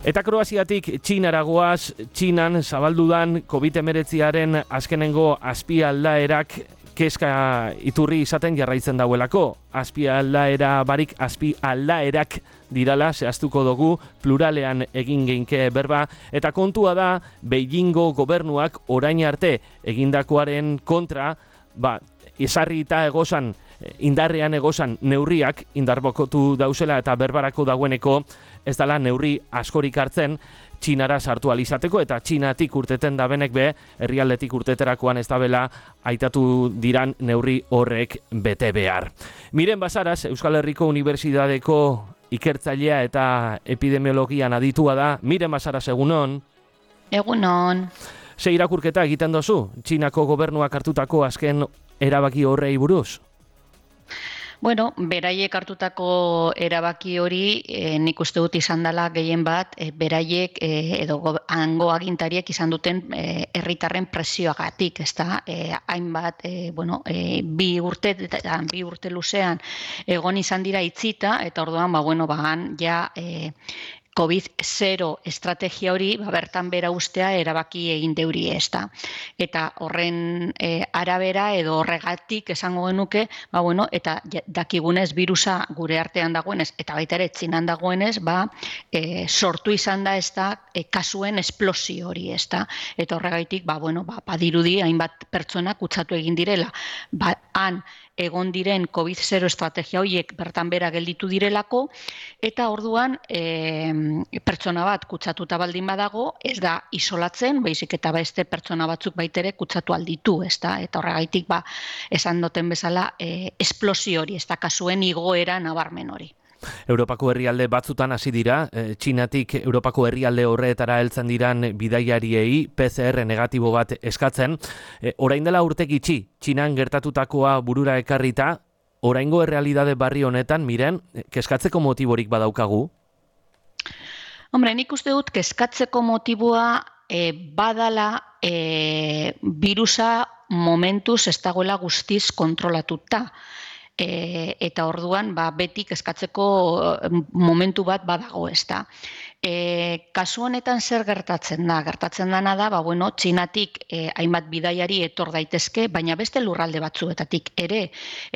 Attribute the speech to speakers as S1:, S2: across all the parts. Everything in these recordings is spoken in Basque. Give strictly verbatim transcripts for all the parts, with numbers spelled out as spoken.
S1: Eta Kroaziatik Txinara goaz, Txinan zabaldudan covid hemeretziaren azkenengo azpialdaerak kezka iturri izaten jarraitzen dauelako. Azpialdaera barik azpialdaerak dirala zehaztuko dugu, pluralean egin geinke berba, eta kontua da Beijingo gobernuak orain arte egindakoaren kontra, ba, ezarri eta egozan, indarrean egozan neurriak indarbokotu dauzela eta berbarako dagoeneko ez dela neurri askorik hartzen Txinara sartu alizateko, eta Txinatik urteten dabenek be, herrialdetik urteterakoan ez dabela aitatu diran neurri horrek bete behar. Miren Basaras, Euskal Herriko Unibertsitateko ikertzailea eta epidemiologian aditua da. Miren Basaras, egunon?
S2: Egunon.
S1: Ze irakurketa egiten dozu, Txinako gobernuak hartutako azken erabaki horrei buruz?
S2: Bueno, beraiek hartutako erabaki hori, e, nik uste dut izan dela gehien bat, e, beraiek e, edo hango agintariek izan duten e, herritarren presioagatik, ezta? E, hainbat, e, bueno, e, bi urte eta bi urte luzean egon izan dira itzita, eta orduan, ba, bueno, bagan, ja, e, covid zero estrategia hori ba, bertan bera ustea erabaki egin deuri ez da. Eta horren e, arabera edo horregatik esango genuke, ba, bueno, eta dakigunez virusa gure artean dagoenez, eta baita ere Txinan dagoenez, ba, e, sortu izan da ez da e, kasuen esplosio hori ez da. Eta horregatik, ba, bueno, ba, badirudi hainbat pertsona kutsatu egin direla. Ba, han, egon diren covid zero estrategia horiek bertan bera gelditu direlako, eta orduan e, pertsona bat kutsatuta baldin badago, ez da isolatzen, baizik eta beste pertsona batzuk baitere kutsatu alditu, ez da, eta horregaitik ba, esan duten bezala e, esplosio hori, ez da kasuen igoera nabarmen hori.
S1: Europako herrialde batzutan hasi dira, e, Txinatik Europako herrialde horretara heltzen diran bidaiariei P C R negatibo bat eskatzen. E, orain dela urte gitxi, Txinan gertatutakoa burura ekarrita, oraingo errealitate barri honetan, miren, kezkatzeko motiborik badaukagu?
S2: Hombre, nik uste dut kezkatzeko motiboa e, badala e, virusa momentuz ez dagoela guztiz kontrolatuta. E, eta orduan ba, beti kezkatzeko momentu bat badago ez da. E, kasu honetan zer gertatzen da? Gertatzen dana da, ba, bueno, Txinatik e, hainbat bidaiari etor daitezke, baina beste lurralde batzuetatik ere,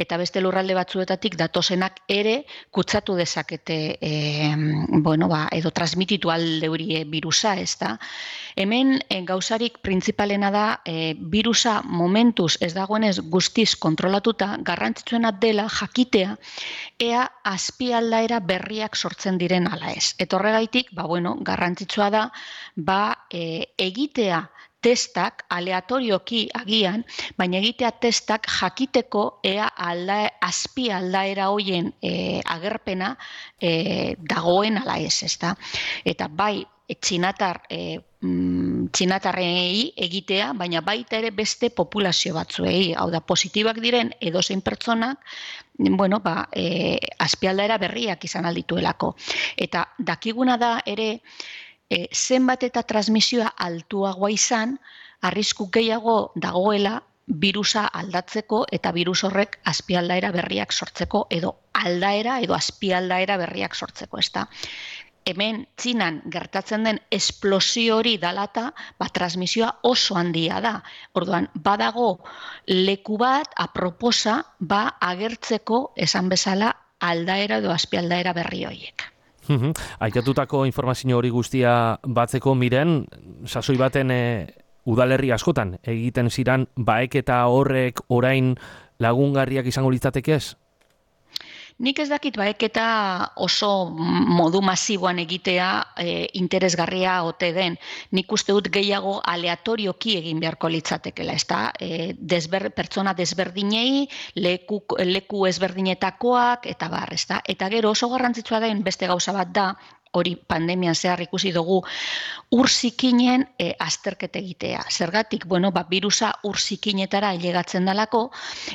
S2: eta beste lurralde batzuetatik datozenak ere kutsatu dezakete e, bueno, ba, edo transmititu aldeurie virusa ez da. Hemen e, gauzarik printzipalena da e, virusa momentuz ez dagoenez guztiz kontrolatuta, garrantzitsuena dela jakitea ea azpialdaera berriak sortzen diren ala ez. Eta horregaitik, ba, bueno, garrantzitsua da, ba, e, egitea testak, aleatorioki agian, baina egitea testak jakiteko ea alda, azpi aldaera hoien e, agerpena e, dagoen ala ez, ezta. Eta bai, txinatar, e, txinatarrei egitea, baina baita ere beste populazio batzuei, hau da, positibak diren edozein pertsonak, bueno, ba, e, azpialdaera berriak izan aldituelako. Eta dakiguna da ere, e, zenbat eta transmisioa altuagoa izan, arrisku gehiago dagoela virusa aldatzeko eta virus horrek azpialdaera berriak sortzeko edo aldaera edo azpialdaera berriak sortzeko, ezta. Hemen Txinan gertatzen den esplosio hori dalata, ba, transmisioa oso handia da. Orduan, badago leku bat, aproposa, ba, agertzeko esan bezala aldaera edo azpialdaera berri horiek.
S1: Aitatutako informazio hori guztia batzeko, miren, sasoi baten e, udalerri askotan egiten ziran, baek eta horrek orain lagungarriak izango litzateke ez?
S2: Nik ez dakit baeketa oso modu masiboan egitea e, interesgarria ote den. Nik uste dut gehiago aleatorioki egin beharko litzatekela, ezta? E, desber, pertsona desberdinei, leku, leku ezberdinetakoak, eta bar, ezta? Eta gero oso garrantzitsua den beste gauza bat da, hori pandemian zehar ikusi dugu, ur zikinen e, azterketa egitea. Zergatik, bueno, ba, virusa ur zikinetara ailegatzen dalako,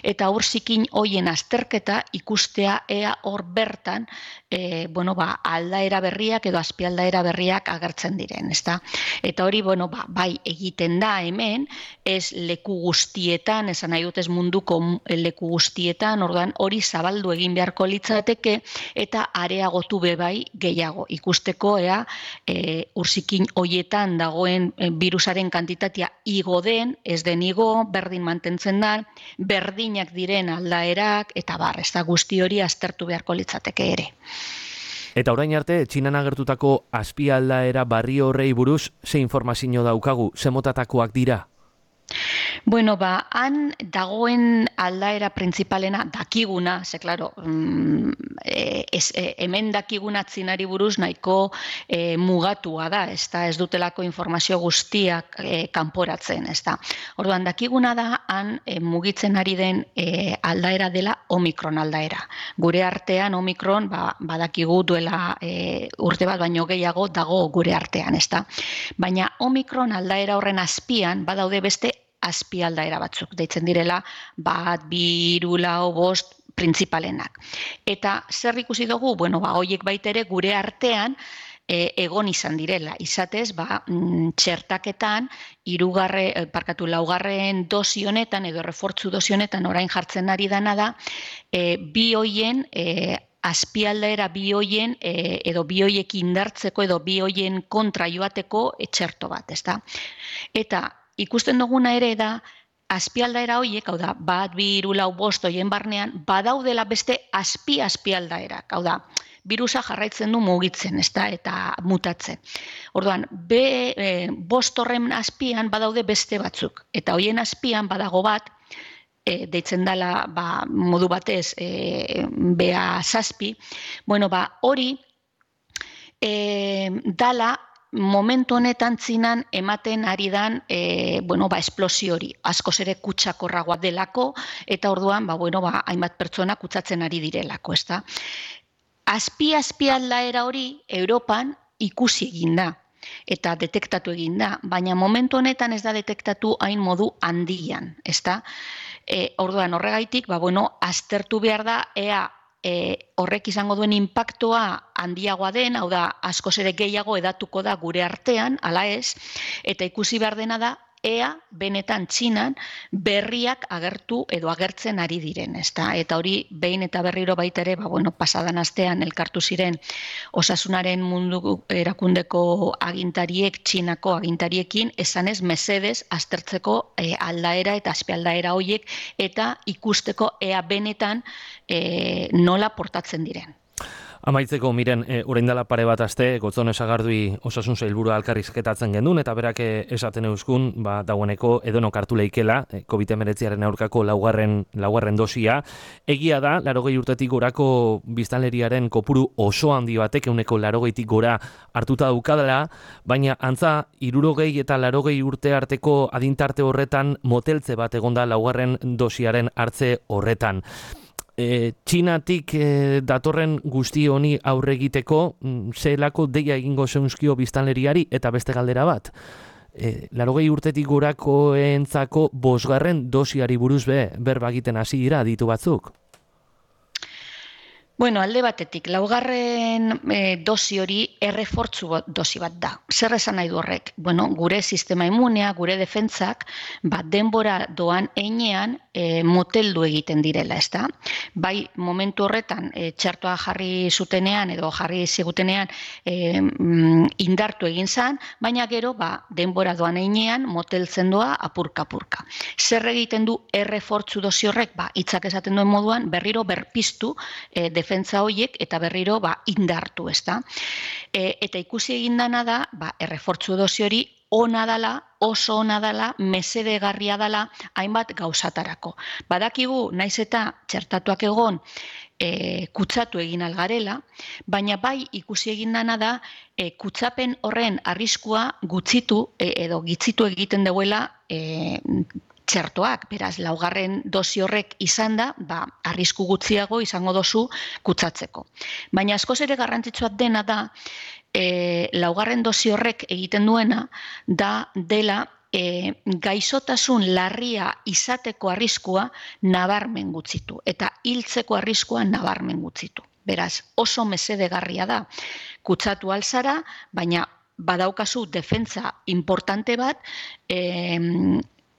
S2: eta ur zikin hoien azterketa ikustea ea hor bertan, e, bueno, ba, aldaera berriak edo azpialdaera berriak agertzen diren, ezta? Eta hori, bueno, ba, bai egiten da hemen, ez leku guztietan, esan nahi dut ez munduko leku guztietan, orduan hori zabaldu egin beharko litzateke, eta areagotu be bai gehiago. ikusteko ea e, urzikin hoietan dagoen e, virusaren kantitatea igo den, ez den igo, berdin mantentzen da, berdinak diren aldaerak, eta bar, ez da guzti hori aztertu beharko litzateke ere.
S1: Eta orain arte, Txinan agertutako azpialdaera barri horrei buruz, ze informazio daukagu, ze motatakoak dira?
S2: Bueno, ba, han dagoen aldaera printzipalena dakiguna, ze, klaro, mm, e, ez, e, hemen dakiguna txinari buruz nahiko e, mugatua da, ez da, ez dutelako informazio guztiak e, kanporatzen, ez da. Orduan, dakiguna da, han e, mugitzen ari den e, aldaera dela Omikron aldaera. Gure artean Omikron, ba, badakigu duela e, urte bat baino gehiago dago gure artean, ez da. Baina Omikron aldaera horren azpian, badaude beste azpialdaera batzuk, deitzen direla bat, bi, hiru, lau, bost printzipalenak. Eta zer ikusi dugu? Bueno, ba, hoiek baitere gure artean e, egon izan direla. Izatez, ba, mm, txertaketan, hirugarre, eh, parkatu, laugarren dosi honetan, edo refortzu dosi honetan orain jartzen ari dana da, e, bi hoien e, azpialdaera bi hoien e, edo bi hoiek indartzeko edo bi hoien kontra joateko etxerto bat, ezta? Eta ikusten duguna ere da, azpialdaera horiek, hau da, bat, bi, hiru, lau, bost hoien barnean, badaudela beste azpi-azpialdaerak, hau da, virusa jarraitzen du mugitzen, ezta, eta mutatzen. Orduan, be, e, bost horren azpian badaude beste batzuk, eta hoien azpian badago bat, e, deitzen dela, ba, modu batez, e, bea zazpi, bueno, ba, hori, e, dala, momentu honetan Txinan ematen ari dan e, bueno, ba, esplosio hori, askoz ere kutsakorragoa delako, eta orduan ba, bueno, ba, hainbat pertsona kutsatzen ari direlako, ezta. Azpi-azpi aldaera hori Europan ikusi egin da, eta detektatu egin da, baina momentu honetan ez da detektatu hain modu handian, ezta. E, orduan horregaitik, ba, bueno, aztertu behar da, ea, E, horrek izango duen inpaktoa handiagoa den, hau da, askoz ere gehiago edatuko da gure artean, ala ez, eta ikusi behar dena da, ea benetan Txinan berriak agertu edo agertzen ari diren, ezta? Eta hori behin eta berriro baita ere, ba, bueno, pasadan astean elkartu ziren osasunaren mundu erakundeko agintariek, Txinako agintariekin, esanez mesedez aztertzeko e, aldaera eta azpialdaera horiek eta ikusteko ea benetan e, nola portatzen diren.
S1: Amaitzeko, miren, e, orain dela pare bat aste, Gotzone Sagardui osasun sailburua elkarrizketatzen gendun, eta berak esaten euskun, ba, dagoeneko edonok hartu leikela, e, covid hemeretziaren aurkako laugarren, laugarren dosia. Egia da, larogei urtetik gorako biztanleriaren kopuru oso handi batek, euneko larogeitik gora hartuta daukadala, baina antza, hirurogei eta larogei urte arteko adintarte horretan moteltze bat egonda laugarren dosiaren hartze horretan. E, Txinatik e, datorren guzti honi aurre egiteko zelako deia egingo zeunzkio biztanleriari eta beste galdera bat. E, larogei urtetik gorakoentzako bosgarren dosiari buruz be berba egiten hasi dira aditu batzuk.
S2: Bueno, alde batetik, laugarren e, dosi hori errefortzu dosi bat da. Zer esan nahi du horrek? Bueno, gure sistema immunea, gure defentsak, bat denbora doan heinean e, moteldu egiten direla, ezta? Bai, momentu horretan, e, txertoa jarri zutenean edo jarri zigutenean e, mm, indartu egin zan, baina gero, ba, denbora doan heinean moteltzen doa apurka-apurka. Zer egiten du errefortzu dosi horrek? Ba, hitzak esaten duen moduan, berriro berpiztu e, defentsa horiek eta berriro ba, indartu, ezta? E, eta ikusi egin dana da, ba, errefortzu dosi hori ona dala, oso ona dala, mesedegarria dala, hainbat gauzatarako. Badakigu, naiz eta txertatuak egon, e, kutsatu egin algarela, baina bai ikusi egin dana da, e, kutsapen horren arriskua gutxitu e, edo gitzitu egiten duela e, txertoak, beraz, laugarren dosi horrek izan da, ba, arrisku gutxiago izango dozu kutsatzeko. Baina askoz ere garrantzitsua dena da, e, laugarren dosi horrek egiten duena, da dela e, gaixotasun larria izateko arriskua nabarmen gutxitu, eta hiltzeko arriskua nabarmen gutxitu. Beraz, oso mesedegarria da kutsatu alzara, baina badaukazu defentsa importante bat, e,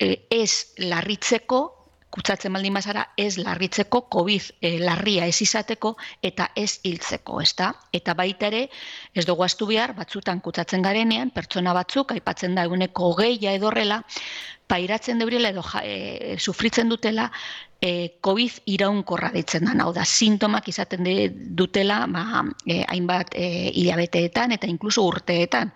S2: ez larritzeko kutsatzen baldin bazara ez larritzeko, COVID e, larria ez izateko eta ez hiltzeko, ezta? Eta baita ere, ez dugu ahaztu behar, batzutan kutsatzen garenean, pertsona batzuk, aipatzen da eguneko hogeia edorrela, pairatzen deurela edo ja, e, sufritzen dutela, e, COVID iraunkorra ditzen da, hau da, sintomak izaten dutela, ba, e, hainbat e, hilabeteetan eta inkluso urteetan.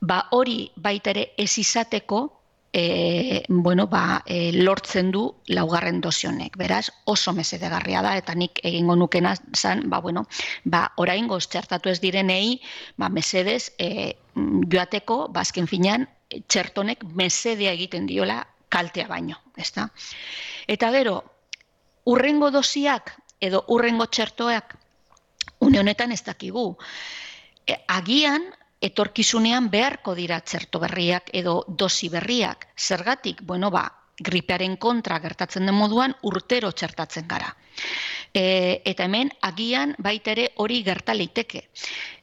S2: Ba, hori baita ere ez izateko, E, bueno, ba, e, lortzen du laugarren dosi honek. Beraz, oso mesedegarria da, eta nik egingo nukena zan, ba, bueno, ba, oraingoz txertatu ez direnei, ba, mesedez, e, joateko, bazken finean, txertonek mesedea egiten diola kaltea baino, ezta? Eta gero, urrengo dosiak, edo urrengo txertoak, une honetan ez dakigu. E, agian, etorkizunean beharko dira txerto berriak edo dosi berriak. Zergatik, bueno, ba, gripearen kontra gertatzen den moduan urtero txertatzen gara. E, eta hemen, agian baita ere hori gerta liteke.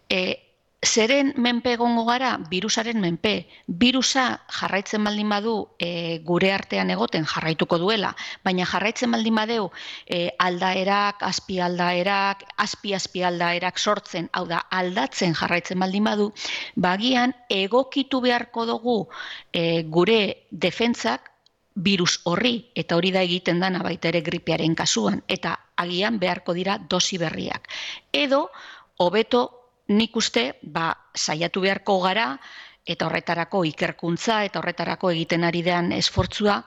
S2: E, Zeren menpe egongo gara, birusaren menpe. Birusa jarraitzen baldin badu e, gure artean egoten jarraituko duela, baina jarraitzen baldin badeu e, aldaerak, azpi aldaerak, azpi azpi aldaerak sortzen, hau da, aldatzen jarraitzen baldin badu, bagian egokitu beharko dugu e, gure defentsak virus horri, eta hori da egiten dana baita ere gripearen kasuan, eta agian beharko dira dosi berriak. Edo, hobeto, nik uste, ba, saiatu beharko gara, eta horretarako ikerkuntza, eta horretarako egiten ari den esfortzua,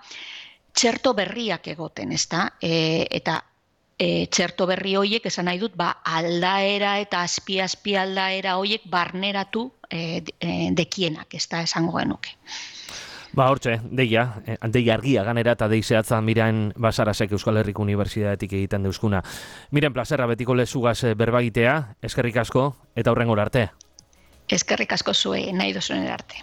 S2: txerto berriak egoten, ezta? E, eta e, txerto berri horiek, esan nahi dut, ba, aldaera eta azpi-azpi aldaera horiek barneratu e, e, dekienak, ezta esango genuke.
S1: Ba, hortxe, deia, dei argia ganera eta dei zehatza Miren Basarasek Euskal Herriko Unibertsitatetik egiten deuskuna. Miren, plazerra betiko lezugaz berbagitea, eskerrik asko eta hurrengora arte.
S2: Eskerrik asko zuei, nahi duzuen arte.